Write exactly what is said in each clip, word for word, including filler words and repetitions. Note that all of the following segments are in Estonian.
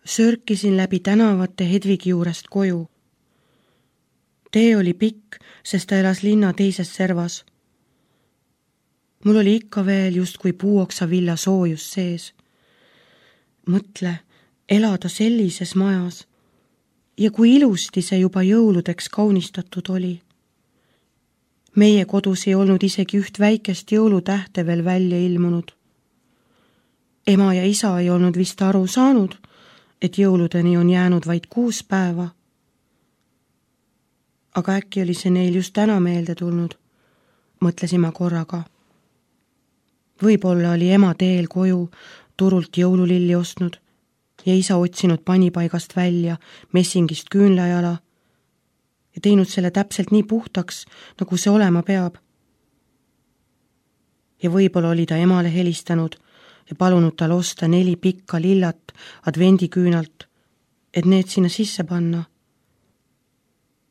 Sörkisin läbi tänavate Hedvigi juurest koju. Tee oli pikk, sest ta elas linna teises servas. Mul oli ikka veel justkui puuoksa villa soojus sees. Mõtle, elada sellises majas ja kui ilusti see juba jõuludeks kaunistatud oli. Meie kodus ei olnud isegi üht väikest jõulutähte veel välja ilmunud. Ema ja isa ei olnud vist aru saanud, et jõuludeni on jäänud vaid kuus päeva. Aga äkki oli see neil just täna meelde tulnud, mõtlesin ma korraga. Võib-olla oli ema teel koju turult jõululilli ostnud ja isa otsinud panipaigast välja messingist küünlajala ja teinud selle täpselt nii puhtaks, nagu see olema peab. Ja võib-olla oli ta emale helistanud ja palunud tal osta neli pikka lillat advendiküünalt, et need sinna sisse panna.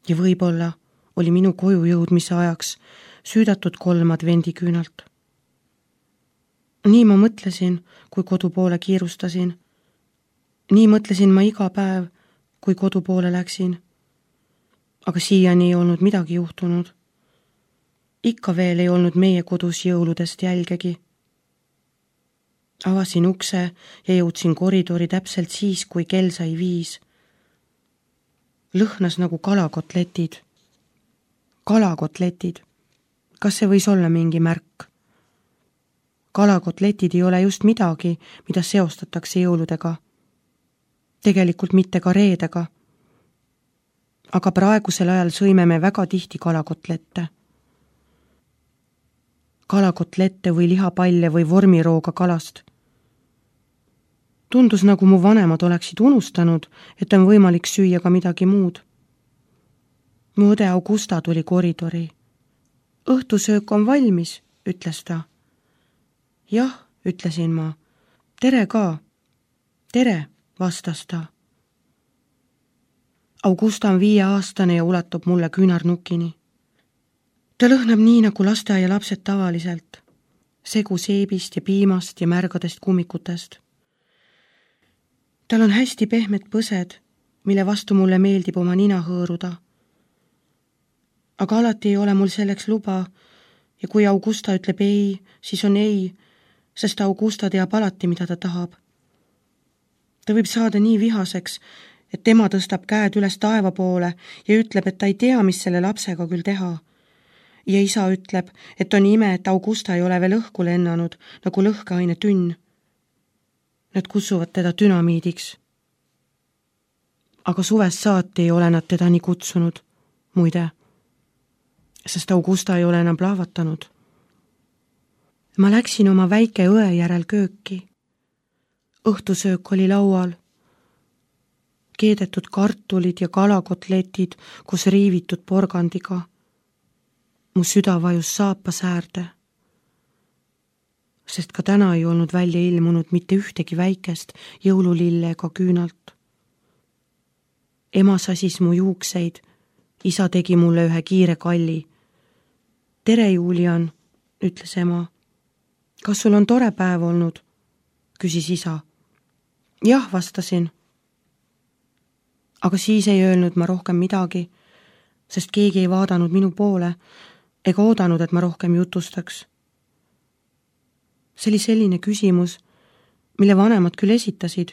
Ja võib-olla oli minu koju jõudmise ajaks süüdatud kolm advendiküünalt. Nii ma mõtlesin, kui kodu poole kiirustasin. Nii mõtlesin ma iga päev, kui kodu poole läksin. Aga siiani ei olnud midagi juhtunud. Ikka veel ei olnud meie kodus jõuludest jälgegi. Avasin ukse ja jõudsin koridori täpselt siis, kui kell sai viis. Lõhnas nagu kalakotletid. Kalakotletid. Kas see võis olla mingi märk? Kalakotletid ei ole just midagi, mida seostatakse jõuludega. Tegelikult mitte ka reedega. Aga praegusel ajal sõime me väga tihti kalakotlette. Kalakotlette või lihapalle või vormirooga kalast. Tundus, nagu mu vanemad oleksid unustanud, et on võimalik süüa ka midagi muud. Mu õde Augusta tuli koridori. Õhtusöök on valmis, ütles ta. Jah, ütlesin ma. Tere ka. Tere, vastas ta. Augusta on viie aastane ja ulatab mulle küünarnukini. Ta lõhnab nii, nagu lasteaia lapsed tavaliselt. Segu seebist ja piimast ja märgadest kummikutest. Tal on hästi pehmed põsed, mille vastu mulle meeldib oma nina hõõruda. Aga alati ei ole mul selleks luba ja kui Augusta ütleb ei, siis on ei, sest Augusta teab alati, mida ta tahab. Ta võib saada nii vihaseks, et tema tõstab käed üles taeva poole ja ütleb, et ta ei tea, mis selle lapsega küll teha. Ja isa ütleb, et on ime, et Augusta ei ole veel õhku lennanud, nagu lõhkeaine tünn. Nad kutsuvad teda dünamiidiks. Aga suvest saati ei ole nad teda nii kutsunud, muide, sest Augusta ei ole enam plahvatanud. Ma läksin oma väike õe järel kööki. Õhtusöök oli laual. Keedetud kartulid ja kalakotletid koos riivitud porgandiga. Mu süda vajus saapa säärde. Sest ka täna ei olnud välja ilmunud mitte ühtegi väikest jõululille ega küünalt. Ema sasis mu juukseid, isa tegi mulle ühe kiire kalli. Tere, Julian, ütles ema. Kas sul on tore päev olnud? Küsis isa. Jah, vastasin. Aga siis ei öelnud ma rohkem midagi, sest keegi ei vaadanud minu poole ega oodanud, et ma rohkem jutustaks. See oli selline küsimus, mille vanemad küll esitasid,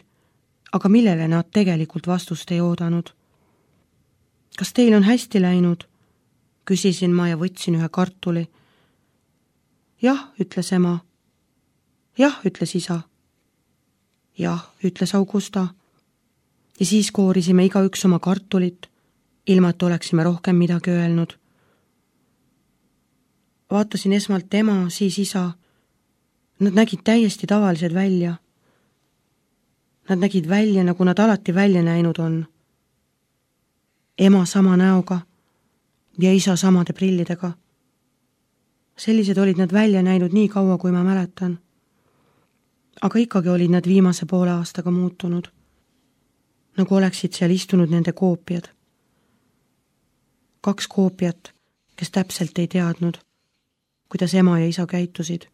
aga millele nad tegelikult vastust ei oodanud. Kas teil on hästi läinud? Küsisin ma ja võtsin ühe kartuli. Jah, ütles ema. Jah, ütles isa. Jah, ütles Augusta. Ja siis koorisime igaüks oma kartulit, ilma et oleksime rohkem midagi öelnud. Vaatasin esmalt ema, siis isa. Nad nägid täiesti tavalised välja. Nad nägid välja, nagu nad alati välja näinud on. Ema sama näoga ja isa samade prillidega. Sellised olid nad välja näinud nii kaua, kui ma mäletan. Aga ikkagi olid nad viimase poole aastaga muutunud. Nagu oleksid seal istunud nende koopiad. Kaks koopiat, kes täpselt ei teadnud, kuidas ema ja isa käitusid.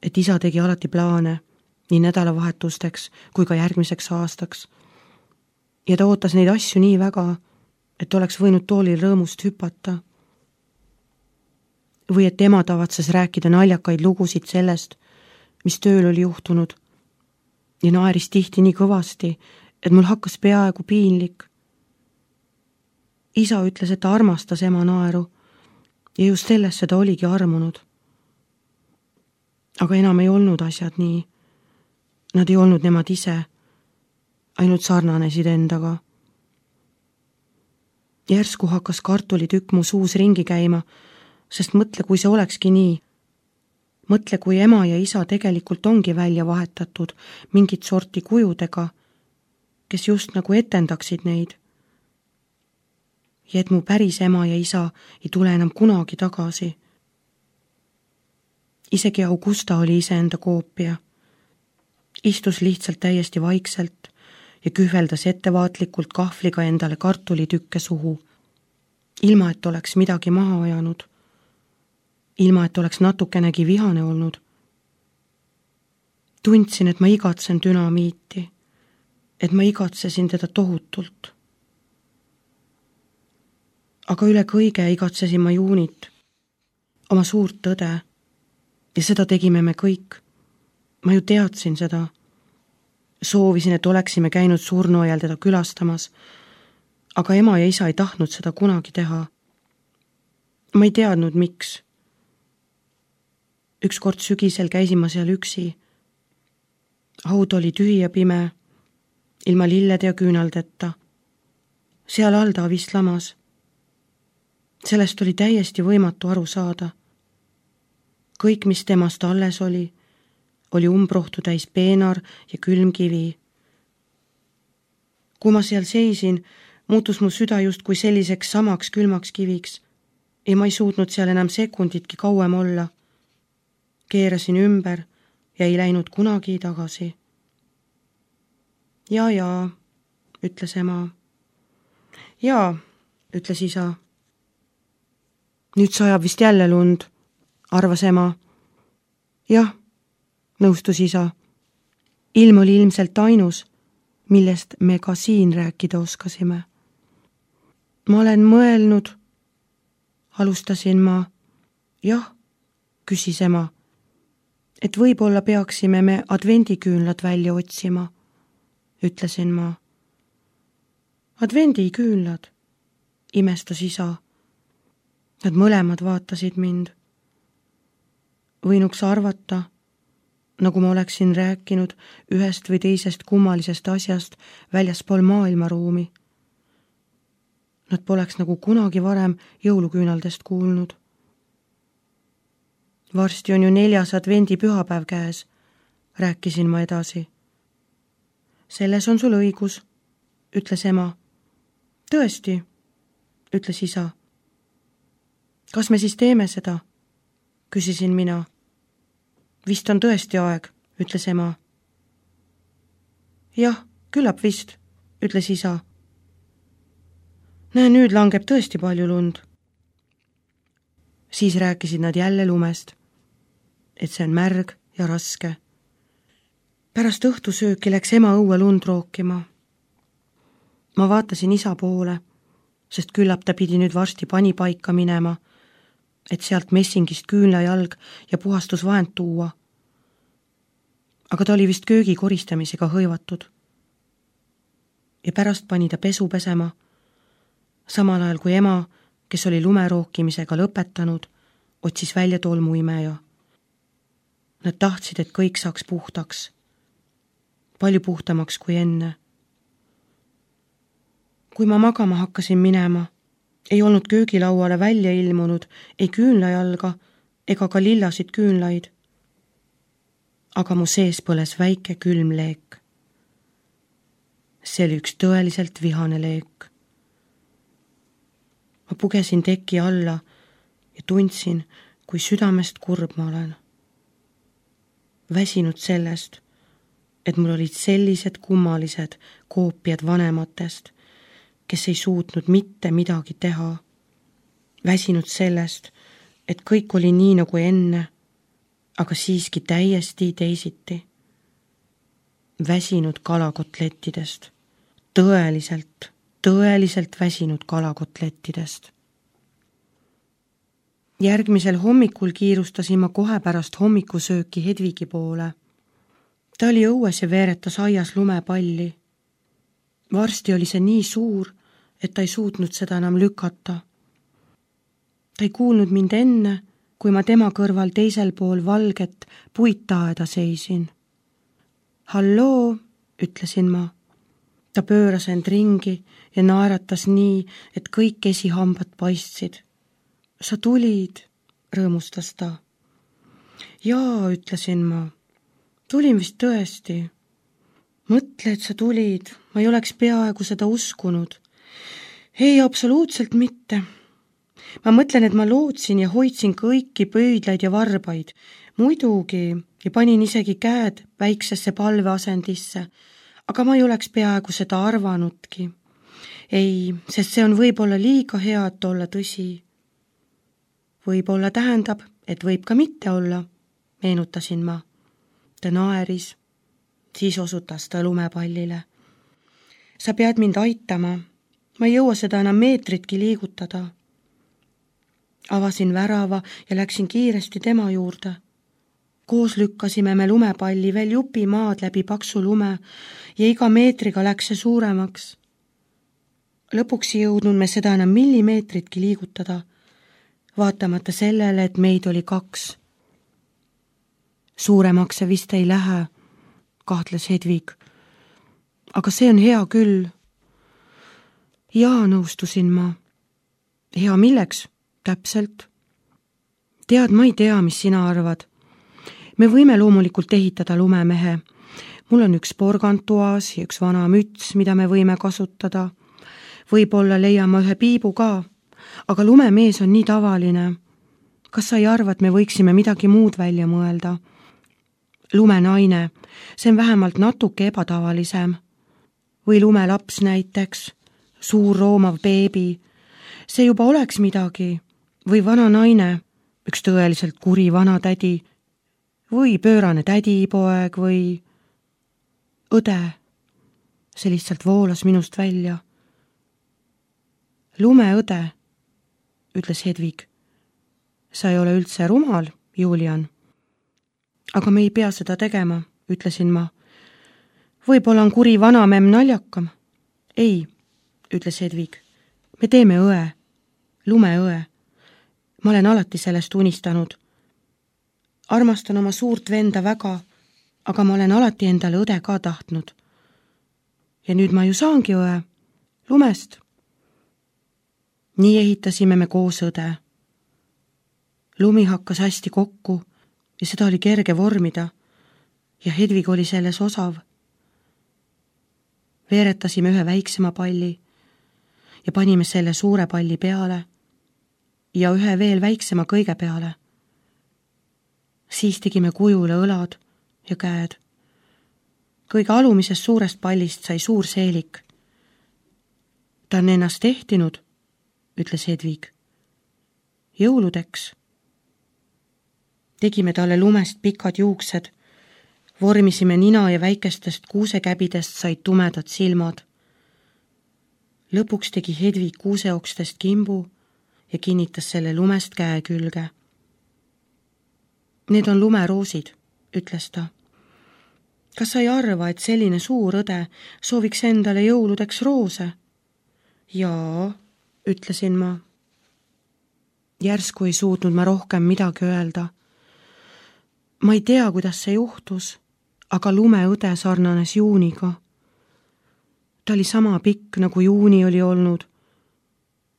Et isa tegi alati plaane nii nädalavahetusteks kui ka järgmiseks aastaks. Ja ta ootas neid asju nii väga, et oleks võinud toolil rõõmust hüpata. Või et ema tavatses rääkida naljakaid lugusid sellest, mis tööl oli juhtunud ja naeris tihti nii kõvasti, et mul hakkas peaaegu piinlik. Isa ütles, et ta armastas ema naeru ja just sellesse ta oligi armunud. Aga enam ei olnud asjad nii. Nad ei olnud nemad ise, ainult sarnanesid endaga. Järsku hakkas kartulitükk mu suus ringi käima, sest mõtle, kui see olekski nii. Mõtle, kui ema ja isa tegelikult ongi välja vahetatud mingit sorti kujudega, kes just nagu etendaksid neid. Ja et mu päris ema ja isa ei tule enam kunagi tagasi. Isegi Augusta oli iseenda koopia. Istus lihtsalt täiesti vaikselt ja kühveldas ettevaatlikult kahvliga endale kartulitükke suhu, ilma et oleks midagi maha ajanud, ilma et oleks natukenegi vihane olnud. Tundsin, et ma igatsen dünamiiti, et ma igatsesin teda tohutult. Aga üle kõige igatsesin ma Juunit, oma suurt tõde, ja seda tegime me kõik. Ma ju teadsin seda. Soovisin, et oleksime käinud surnuaial teda külastamas, aga ema ja isa ei tahtnud seda kunagi teha. Ma ei teadnud, miks. Ükskord sügisel käisin ma seal üksi. Haud oli tühi ja pime, ilma lillede ja küünaldeta. Seal all ta vist lamas. Sellest oli täiesti võimatu aru saada. Kõik, mis temast alles oli, oli umbrohtu täis peenar ja külm kivi. Kui ma seal seisin, muutus mu süda just kui selliseks samaks külmaks kiviks ja ma ei suutnud seal enam sekunditki kauem olla. Keerasin ümber ja ei läinud kunagi tagasi. Ja, ja, ütles ema. Ja, ütles isa. Nüüd sajab vist jälle lund, arvas ema. Jah, nõustus isa. Ilm oli ilmselt ainus, millest me ka siin rääkida oskasime. Ma olen mõelnud, alustasin ma. Jah, küsis ema, et võib-olla peaksime me advendiküünlad välja otsima, ütlesin ma. Advendiküünlad, imestas isa. Nad mõlemad vaatasid mind. Võinuks arvata, nagu ma oleksin rääkinud ühest või teisest kummalisest asjast väljaspool maailmaruumi. Nad poleks nagu kunagi varem jõuluküünaldest kuulnud. Varsti on ju neljas advendi pühapäev käes, rääkisin ma edasi. Selles on sul õigus, ütles ema. Tõesti, ütles isa. Kas me siis teeme seda? Küsisin mina. Vist on tõesti aeg, ütles ema. Jah, küllap vist, ütles isa. Näe, nüüd langeb tõesti palju lund. Siis rääkisid nad jälle lumest, et see on märg ja raske. Pärast õhtusööki läks ema õue lund rookima. Ma vaatasin isa poole, sest küllap ta pidi nüüd varsti panipaika minema, et sealt messingist küünlajalg ja puhastusvahend tuua. Aga ta oli vist köögi koristamisega hõivatud. Ja pärast pani ta pesu pesema, samal ajal kui ema, kes oli lumerookimisega lõpetanud, otsis välja tolmuimeja. Nad tahtsid, et kõik saaks puhtaks, palju puhtamaks kui enne. Kui ma magama hakkasin minema, ei olnud köögilauale välja ilmunud ei küünlajalga ega ka lillasid küünlaid. Aga mu sees põles väike külm leek. See oli üks tõeliselt vihane leek. Ma pugesin teki alla ja tundsin, kui südamest kurb ma olen. Väsinud sellest, et mul olid sellised kummalised koopiad vanematest, kes ei suutnud mitte midagi teha. Väsinud sellest, et kõik oli nii nagu enne, aga siiski täiesti teisiti. väsinud kalakotlettidest. Tõeliselt, tõeliselt väsinud kalakotlettidest. Järgmisel hommikul kiirustasin ma kohe pärast hommikusööki Hedvigi poole. Ta oli õues ja veeretas aias lumepalli. Varsti oli see nii suur, et ta ei suutnud seda enam lükata. Ta ei kuulnud mind enne, kui ma tema kõrval teisel pool valget puittaeda seisin. Halloo, ütlesin ma. Ta pööras end ringi ja naeratas nii, et kõik esihambad paistsid. Sa tulid, rõõmustas ta. Jaa, ütlesin ma. Tulin vist tõesti. Mõtle, et sa tulid. Ma ei oleks peaaegu seda uskunud. Ei, absoluutselt mitte. Ma mõtlen, et ma lootsin ja hoidsin kõiki pöidlaid ja varbaid. Muidugi ja panin isegi käed väiksesse palveasendisse, aga ma ei oleks peaaegu seda arvanudki. Ei, sest see on võib-olla liiga hea, et olla tõsi. Võib-olla tähendab, et võib ka mitte olla, meenutasin ma. Ta naeris, siis osutas ta lumepallile. Sa pead mind aitama, ma ei jõua seda enam meetritki liigutada. Avasin värava ja läksin kiiresti tema juurde. Koos lükkasime me lumepalli veel jupi maad läbi paksu lume ja iga meetriga läks see suuremaks. Lõpuks ei jõudnud me seda enam millimeetritki liigutada, vaatamata sellele, et meid oli kaks. Suuremaks see vist ei lähe, kahtles Hedvig. Aga see on hea küll. Jaa, nõustusin ma. Hea milleks? Täpselt. Tead, ma ei tea, mis sina arvad. Me võime loomulikult ehitada lumemehe. Mul on üks porgantuaas ja üks vana müts, mida me võime kasutada. Võib-olla leiame ühe piibu ka, aga lumemees on nii tavaline. Kas sa ei arva, et me võiksime midagi muud välja mõelda? Lumenaine, see on vähemalt natuke ebatavalisem. Või lumelaps näiteks, suur roomav beebi. See juba oleks midagi. Või vana naine, üks tõeliselt kuri vana tädi, või pöörane tädipoeg või õde. See lihtsalt voolas minust välja. Lumeõde, ütles Hedvig. Sa ei ole üldse rumal, Julian. Aga me ei pea seda tegema, ütlesin ma. Võib-olla on kuri vanamemm naljakam. Ei, ütles Hedvig. Me teeme õe, lumeõe. Ma olen alati sellest unistanud. Armastan oma suurt venda väga, aga ma olen alati endale õde ka tahtnud. Ja nüüd ma ju saangi õe, lumest. Nii ehitasime me koos õde. Lumi hakkas hästi kokku ja seda oli kerge vormida ja Hedvig oli selles osav. Veeretasime ühe väiksema palli ja panime selle suure palli peale ja ühe veel väiksema kõige peale. Siis tegime kujule õlad ja käed. Kõige alumisest suurest pallist sai suur seelik. Ta on ennast tehtinud, ütles Hedvig. Jõuludeks. Tegime talle lumest pikad juuksed, vormisime nina ja väikestest kuusekäbidest said tumedad silmad. Lõpuks tegi Hedvig kuuseokstest kimbu ja kinnitas selle lumest käe külge. Need on lumeroosid, ütles ta. Kas sa ei arva, et selline suur õde sooviks endale jõuludeks roose? Jaa, ütlesin ma. Järsku ei suutnud ma rohkem midagi öelda. Ma ei tea, kuidas see juhtus, aga lumeõde sarnanes Juuniga. Ta oli sama pikk, nagu Juuni oli olnud.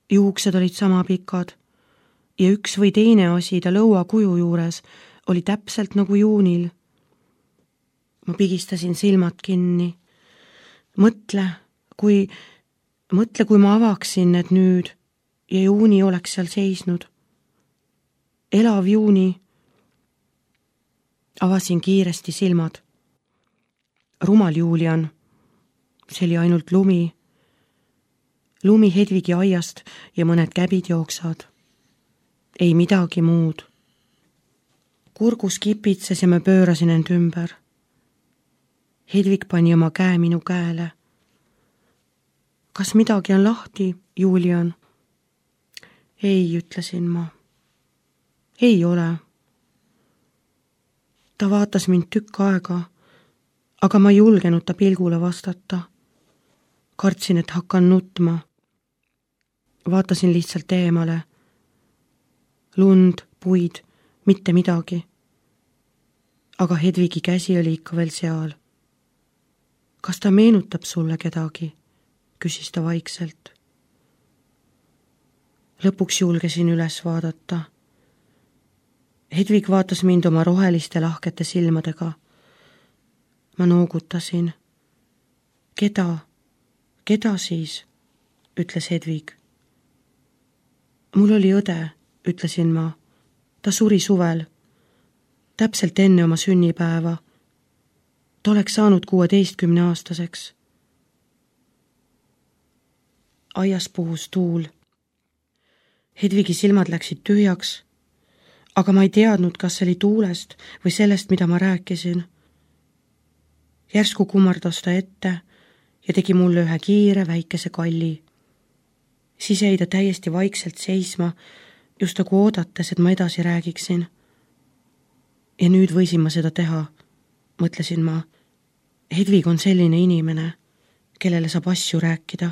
Juuksed olid sama pikad ja üks või teine asi ta lõua kuju juures oli täpselt nagu Juunil. Ma pigistasin silmad kinni. Mõtle, kui, mõtle, kui ma avaksin need nüüd ja Juuni oleks seal seisnud. Elav Juuni. Avasin kiiresti silmad. Rumal Julian. See oli ainult lumi. Lumi Hedvigi aiast ja mõned käbid jooksad. Ei midagi muud. Kurgus kipitses ja ma pöörasin end ümber. Hedvig pani oma käe minu käele. Kas midagi on lahti, Julian? Ei, ütlesin ma. Ei ole. Ta vaatas mind tükk aega, aga ma ei julgenud ta pilgule vastata. Kartsin, et hakkan nutma. Vaatasin lihtsalt eemale. Lund, puid, mitte midagi. Aga Hedvigi käsi oli ikka veel seal. Kas ta meenutab sulle kedagi? Küsis ta vaikselt. Lõpuks julgesin üles vaadata. Hedvig vaatas mind oma roheliste lahkete silmadega. Ma noogutasin. Keda? Keda siis? Ütles Hedvig. Mul oli õde, ütlesin ma. Ta suri suvel. Täpselt enne oma sünnipäeva. Ta oleks saanud kuueteistkümne aastaseks. Aias puhus tuul. Hedvigi silmad läksid tühjaks, aga ma ei teadnud, kas see oli tuulest või sellest, mida ma rääkisin. Järsku kummardas ta ette ja tegi mulle ühe kiire väikese kalli. Siis jäi ta täiesti vaikselt seisma, just nagu oodates, et ma edasi räägiksin. Ja nüüd võisin ma seda teha, mõtlesin ma. Hedvig on selline inimene, kellele saab asju rääkida.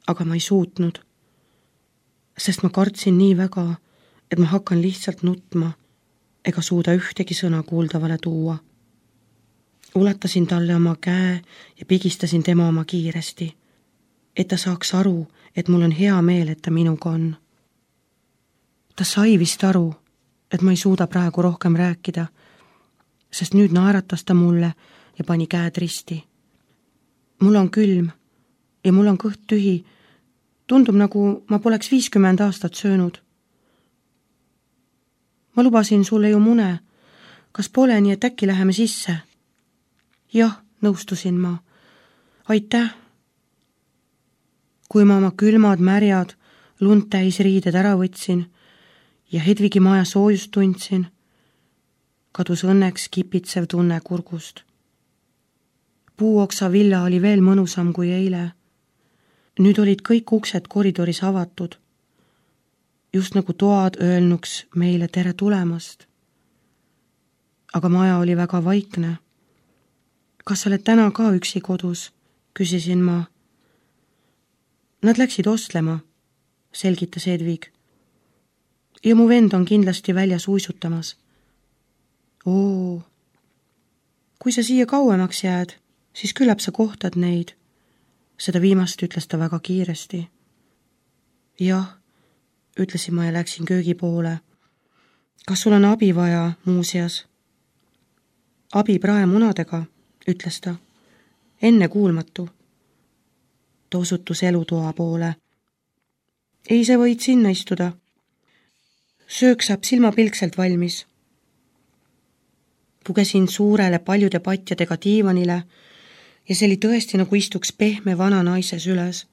Aga ma ei suutnud, sest ma kartsin nii väga, et ma hakkan lihtsalt nutma ega suuda ühtegi sõna kuuldavale tuua. Ulatasin talle oma käe ja pigistasin tema oma kiiresti, et ta saaks aru, et mul on hea meel, et ta minuga on. Ta sai vist aru, et ma ei suuda praegu rohkem rääkida, sest nüüd naeratas ta mulle ja pani käed risti. Mul on külm ja mul on kõht tühi. Tundub, nagu ma poleks viiskümmend aastat söönud. Ma lubasin sulle ju mune. Kas pole nii, et äkki läheme sisse? Jah, nõustusin ma. Aitäh. Kui ma oma külmad, märjad, lund täis riided ära võtsin ja Hedvigi maja soojust tundsin, kadus õnneks kipitsev tunne kurgust. Puuoksa villa oli veel mõnusam kui eile. Nüüd olid kõik uksed koridoris avatud, just nagu toad öelnuks meile tere tulemast. Aga maja oli väga vaikne. Kas sa oled täna ka üksi kodus? Küsisin ma. Nad läksid ostlema, selgitas Hedvig. Ja mu vend on kindlasti väljas uisutamas. Oo, kui sa siia kauemaks jääd, siis küllap sa kohtad neid. Seda viimast ütles ta väga kiiresti. Jah, ütlesin ma ja läksin köögi poole. Kas sul on abi vaja muuseas? Abi praemunadega, ütles ta. Enne kuulmatu. Ta osutus elutoa poole. Ei, sa võid sinna istuda. Söök saab silmapilkselt valmis. Pugesin suurele paljude patjadega diivanile ja see oli tõesti nagu istuks pehme vana naise süles.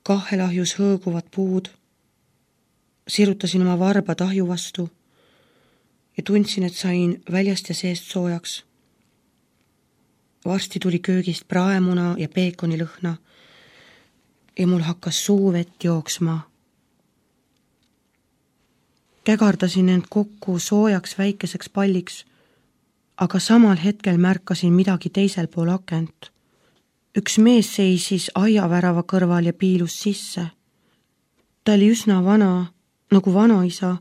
Kahelahjus hõõguvad puud. Sirutasin oma varba tahju vastu ja tundsin, et sain väljast ja seest soojaks. Varsti tuli köögist praemuna ja peekoni lõhna ja mul hakkas suu vett jooksma. Kägardasin end kokku soojaks väikeseks palliks, aga samal hetkel märkasin midagi teisel pool akent. Üks mees seisis aiavärava kõrval ja piilus sisse. Ta oli üsna vana, nagu vanaisa,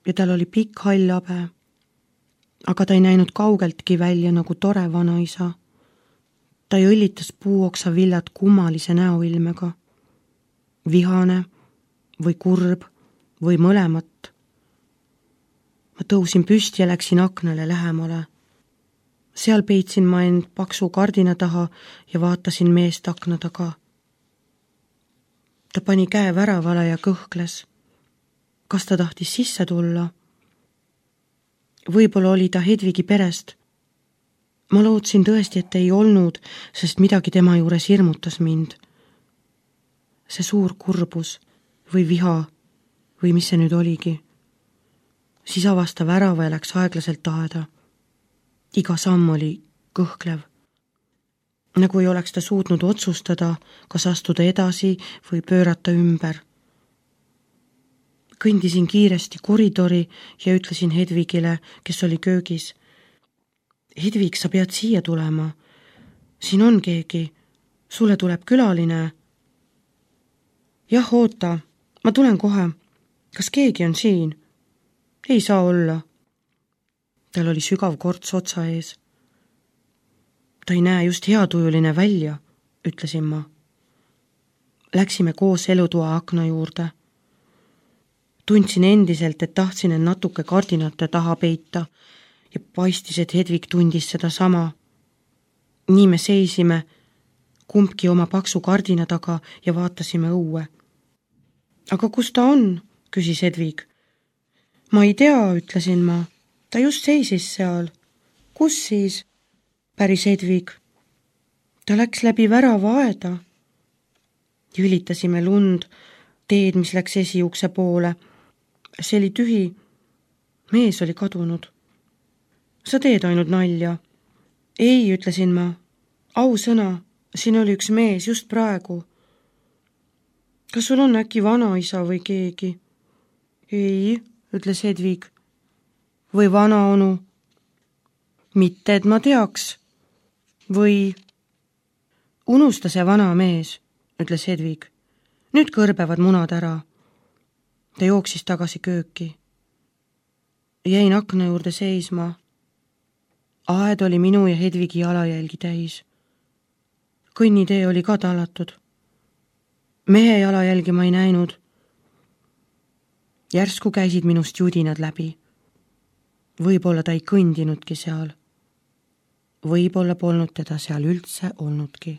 ja tal oli pikk hall habe. Aga ta ei näinud kaugeltki välja nagu tore vanaisa. Ta õllitas puuoksa villad kummalise näoilmega. Vihane või kurb või mõlemat. Ma tõusin püsti ja läksin aknale lähemale. Seal peitsin ma end paksu kardina taha ja vaatasin meest akna taga. Ta pani käe väravale ja kõhkles. Kas ta tahtis sisse tulla? Võib-olla oli ta Hedvigi perest. Ma lootsin tõesti, et ei olnud, sest midagi tema juures hirmutas mind. See suur kurbus või viha või mis see nüüd oligi. Siis avas ta värava ja läks aeglaselt aeda. Iga samm oli kõhklev. Nagu ei oleks ta suutnud otsustada, kas astuda edasi või pöörata ümber. Kõndisin kiiresti koridori ja ütlesin Hedvigile, kes oli köögis. Hedvig, sa pead siia tulema. Siin on keegi. Sulle tuleb külaline. Jah, oota. Ma tulen kohe. Kas keegi on siin? Ei saa olla. Tal oli sügav korts otsa ees. Ta ei näe just heatujuline välja, ütlesin ma. Läksime koos elutoa akna juurde. Tundsin endiselt, et tahtsin end natuke kardinate taha peita ja paistis, et Hedvig tundis seda sama. Nii me seisime, kumbki oma paksu kardina taga ja vaatasime õue. Aga kus ta on? Küsis Hedvig. Ma ei tea, ütlesin ma. Ta just seisis seal. Kus siis? Päris Hedvig. Ta läks läbi värava aeda. Ülitasime lund, teed, mis läks esiukse poole. See oli tühi. Mees oli kadunud. Sa teed ainult nalja. Ei, ütlesin ma. Ausõna, siin oli üks mees just praegu. Kas sul on äkki vanaisa või keegi? Ei, ütles Hedvig. Või vanaonu? Mitte, et ma teaks. Või unusta see vana mees, ütles Hedvig. Nüüd kõrbevad munad ära. Ta jooksis tagasi kööki. Jäin akna juurde seisma. Aed oli minu ja Hedvigi jalajälgi täis. Kõnnitee oli ka tallatud. Mehe jalajälgi ma ei näinud. Järsku käisid minust judinad läbi. Võib-olla ta ei kõndinudki seal. Võib-olla polnud teda seal üldse olnudki.